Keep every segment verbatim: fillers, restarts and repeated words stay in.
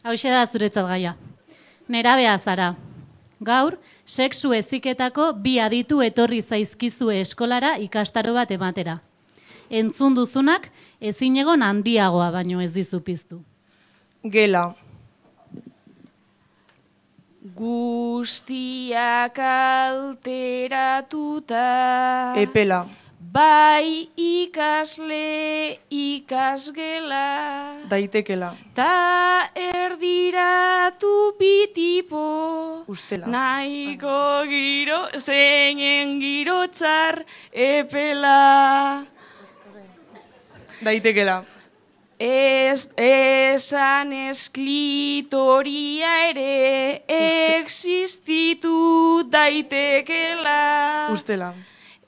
Hauxe da zuretzat gaia. Nerabea zara. Gaur, sexu heziketako bi aditu etorri zaizkizue eskolara ikastaro bat ematera. Entzun duzunak ezinegon handiagoa baino ez dizu piztu. Gela. Guztiak alteratuta. Epela. Bai ikasle ikasgela. Daitekela. Ta erdiratu bitipo. Ustela. Nahiko giro, zeinen giro txar epela. Daitekela. Ez, esan esklitoria ere existitu daitekela. Ustela.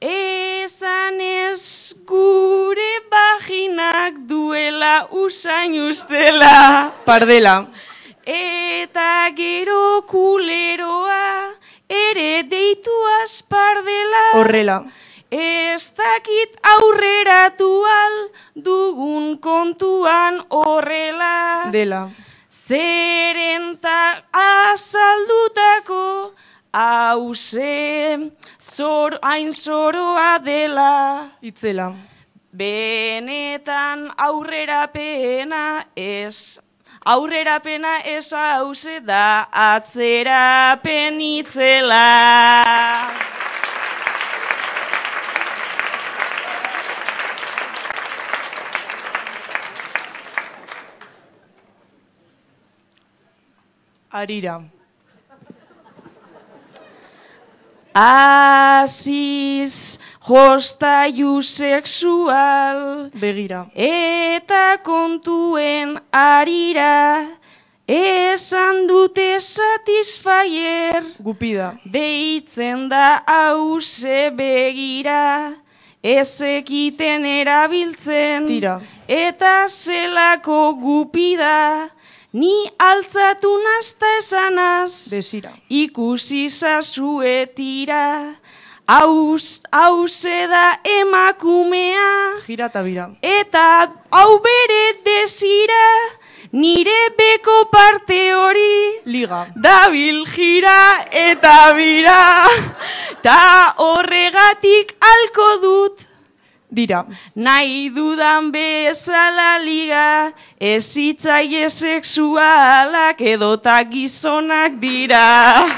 Esan ez gure vaginak duela usain ustela. Pardela. Eta gero kuleroa ere deituaz pardela. Horrela. Ez dakit aurreratu al dugun kontuan horrela. Dela. Zeren ta azaldutako hauze zor, hain zoroa dela. Itzela. Benetan aurrerapena ez, aurrerapena ez hauze da atzerapen itzela. Arira. Aziz jostaiu sexual. Begira. Eta kontuen arira. Esan dute satisfyer. Gupida. Deitzen da hauze begira. Ezekiten erabiltzen. Tira. Eta zelako gupida. Ni altzatu nazta esanaz. Desira. Ikusi zazuetira. Hauze da emakumea. Gira eta bira. Eta hau bere desira. Nire beko parte hori. Liga. Dabil gira eta bira. Ta horregatik alko dut. Dira. Nahi dudan bezala liga, ez hitzaile sexualak edota gizonak dira.